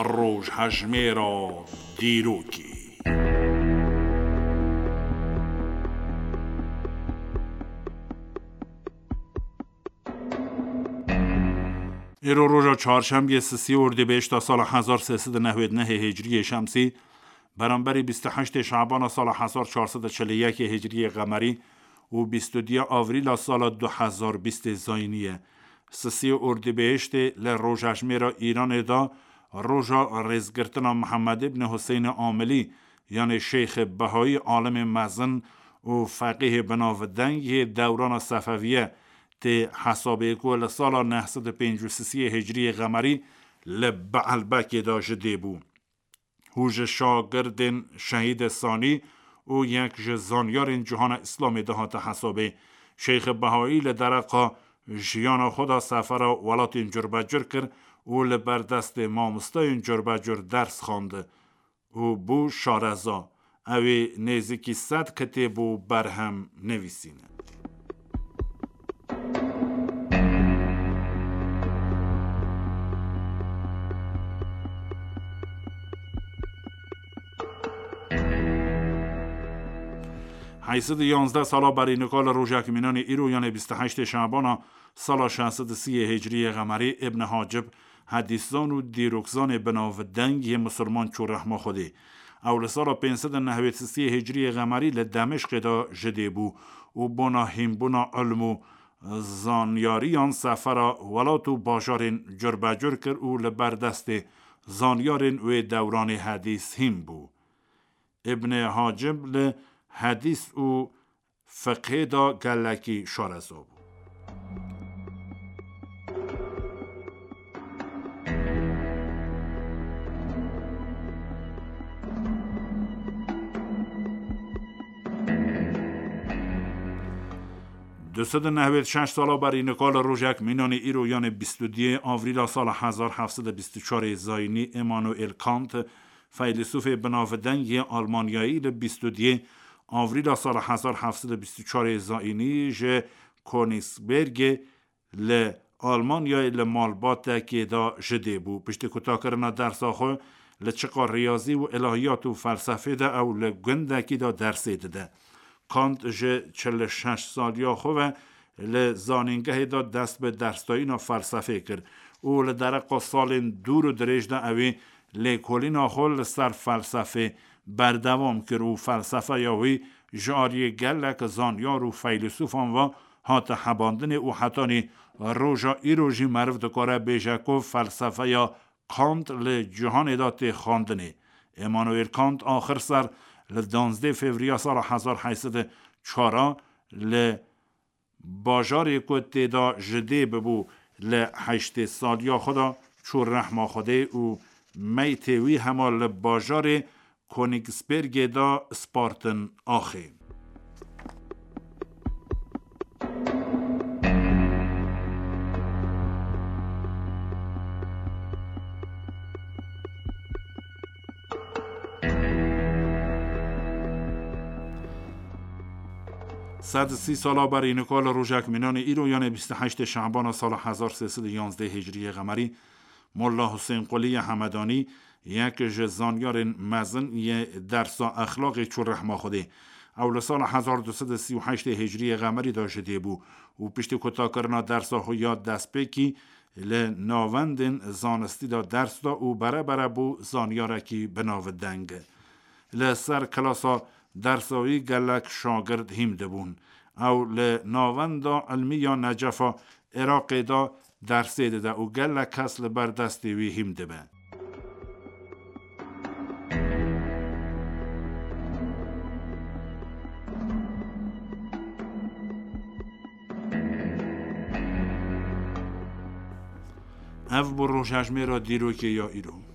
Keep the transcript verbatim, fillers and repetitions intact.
Rojhejmêra dîrokê. Îro roja çarşembiyê, sisê Ordîbehişta sala hezar sê sed û nehwêd nehê Hicriyê Şemsî, beramberî bîst û heştê Şabana sala hezar çar sed û çil û yekê Hicriyê Qemerî û bîst û duyê Avrîla sala du hezar bîstê Zayînî ye. Sisê Ordîbehiştê li rojhejmêra Îranê de roja rêzgirtina Mihemed îbn Huseynê Amilî, yanê Şeyxê Behayî, alimê mezin û feqîhê binavdeng yê dewrana Sefeviye tê hesabê ku li sala neh sed û pêncî û sisê Hicriyê Qemerî li Beelbekê de ji dê bû. Hû ji şagirdên Şehîdê Sanî û yek ji zanyarên cihana Îslamê de hate hesabê. Şeyxê Behayî li dereqa jiyana xwe de sefera welatên curbecur kir û li ber destê mamostayên curbecur ders xwend û bû şareza. Ew ê nêzîkî sed kitêb û berhem nivîsîne. Heyt sed û yanzdeh sala berî nika li rojek mînanê îro, yanê bîst û heştê Şabana sala şeş sed û sî Hicriyê Qemerî, Îbn Hacib, hedîszan û dîrokzanê binavdeng yê misilman çû rehma Xwedê. Ew li sala pênc sed û nehwêd û sê Hicriyê Qemerî li Demişqê de ji dê bû û bona hînbûna ilm û zanyariyan sefera welat û bajarên curbecur kir û li ber destê zanyarên wê dewranê hedîs hîn bû. Îbnê Hacib li hedîs û fiqhê de gelekî şareza bû. Du sed û nehwêd şeş sala berî nika li rojek mînanê îro, yanê bîst û duyê Avrîla sala hezar heft sed û bîst û çarê Zayînî, Îmanuel Kant, feylesûfê binavdeng yê Almanyayî, li bîst û duyê Avrîla sala hezar heft sed û bîst û çarê Zayînî ji Königsbergê li Almanyayê li malbatekê de ji dê bû. Piştî kutakirina dersa xwe li çiqa riyazî û ilahiyat û felsefê de, ew li gundekî de dersê dide. Kant ji çil û şeş saliya xwe ve li zanîngehê de dest bi dersdayîna felsefê kir û li dereqa salên dûr û dirêj de ew ê lêkolîna xwe li ser felsefê berdewam kir û felsefeya wî ji aliyê gelek zanyar û feylesûfan ve hate hebandinê û hetanî roja îro jî meriv dikare bêje ku felsefeya Kant li cîhanê de tê xwendinê. Emmanuel Kant axir ser li duwazdeh Fevriya sala hezar heyt sed û çar a li bajarê ku tê de ji dê bibû li heştê saliya xwe de çû rehma Xwedê û meytê wî hema li bajarê Königsbergê de spartin axê. Sed û sî sala berî nika li rojek mînanê îro, yanê bîst û heştê Şabana sala hezar sê sed û yanzdeh Hicriyê Qemerî, Molla Husên Quliyê Hemedanî, yek ji zanyarên mezin yê dersa exlaqê çû rehma Xwedê. Ew li sala hezar du sed û sî û heştê Hicriyê Qemerî de ji dê bû û piştî kutakirina dersa xwe ya destpêkî li navendên zanistî de ders da û berebere bû zanyarekî binavdeng. Li ser klasa dersa wî gelek şagird hîm dibûn. Ew li Navenda Ilmî ya Necefa Iraqê de dersê dide û gelek kes li ber destê wî hîm dibe. Ev bû rojhejmêra dîrokê ya îro.